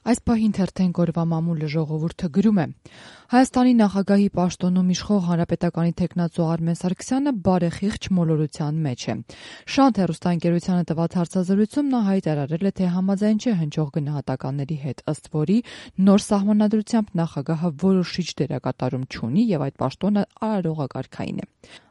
Այս պահին թերթեն օրվա մամուլը ժողովուրդը գրում է. Հայաստանի նախագահի պաշտոնում իշխող Հանրապետականի թեկնածու Արմեն Սարգսյանը բարեխիղճ մոլորության մեջ է։ Շանթ հեռուստաընկերությանը տված հարցազրույցում նա հայտարարել է, թե համաձայն չէ հնչող գնահատականների հետ, ըստ որի նոր սահմանադրությամբ նախագահը որոշիչ դերակատարում չունի եւ այդ պաշտոնը արարողակարգային է։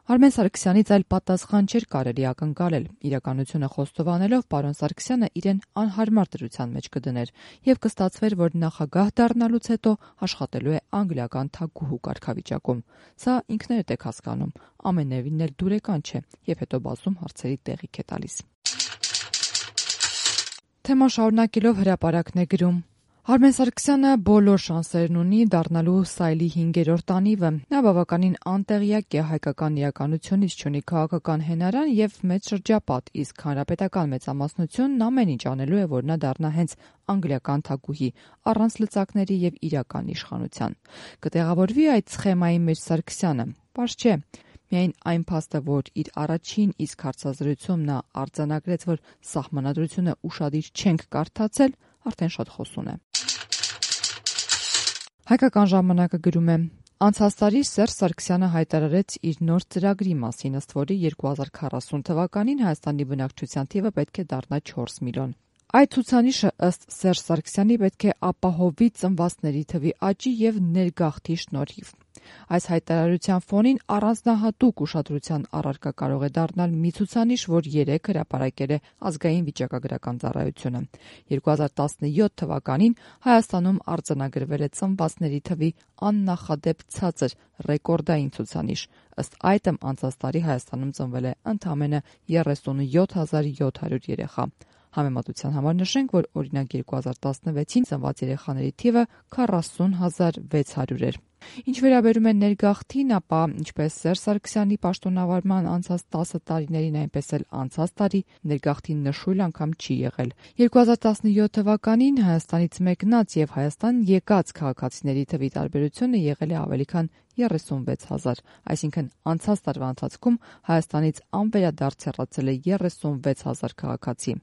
Արմեն Սարգսյանից այլ պատասխան չէր կարելի ակնկալել։ Իրականությունը խոստովանելով պարոն Սարգսյանը իրեն անհարմար դրության մեջ կդներ եւ կստացվեր, որ նախագահ դառնալուց հետո աշխատելու է անգլիական թագուհու կարգավիճակում։ Սա ինքներդ եք հասկանում, ամենևին էլ դուրեկան չէ եւ հետո բացում հարցերի տեղիք է տալիս։ Թեման շարունակելով հրապարակն է գրում. Արմեն Սարգսյանը բոլոր շանսերն ունի դառնալու սայլի 5-րդ անիվը։ Նա բավականին անտեղյակ է հայկական իրականությունից, չունի քաղաքական հենարան եւ մեծ շրջապատ, իսկ հանրապետական մեծամասնությունն ամեն ինչ անելու է, որ նա դառնա հենց անգլիական թագուհի, առանց լծակների եւ իրական իշխանության։ Կտեղավորվի այդ սխեմայի մեջ Սարգսյանը։ Պարզ չէ։ Միայն այն փաստը, որ իր առաջին իսկ հարցազրույցում նա արձանագրեց, որ սահմանադրությունը ուշադիր չենք կարդացել, արդեն շատ խոսուն է։ Հայկական ժամանակը գրում է. Անցած տարի Սերժ Սարգսյանը հայտարարեց իր նոր ծրագրի մասին, ըստ որի 2040 թվականին Հայաստանի բնակչության թիվը պետք է դառնա 4 միլիոն։ Այդ ցուցանիշը ըստ Սերժ Սարգսյանի պետք է ապահովի ծնվածների թվի աճի եւ ներգաղթի շնորհիվ։ Այս հայտարարության ֆոնին առանձնահատուկ ուշադրության առարկա կարող է դառնալ մի ցուցանիշ, որ երեկ հրապարակել է Ազգային վիճակագրական ծառայությունը։ 2017 թվականին Հայաստանում արձանագրվել է ծնվածների թվի աննախադեպ ցածր ռեկորդային ցուցանիշ։ Ըստ այդմ անցած տարի Հայաստանում ծնվել է ընդամենը 37,700 երեխա։ Համեմատության համար նշենք, որ օրինակ 2016-ին ծնված երեխաների թիվը 40,600 էր։ Ինչ վերաբերում է ներգաղթին, ապա ինչպես Սերժ Սարգսյանի պաշտոնավարման անցած 10 տարիներին, այնպես էլ անցած տարի ներգաղթին նշույլ անգամ չի եղել։ 2017 թվականին Հայաստանից մեկնած եւ Հայաստան եկած քաղաքացիների թվի տարբերությունը եղել է ավելի քան 36,000, այսինքն անցած տարվա ընթացքում Հայաստանից անվերադարձ հեռացել է 36,000 քաղաքացի։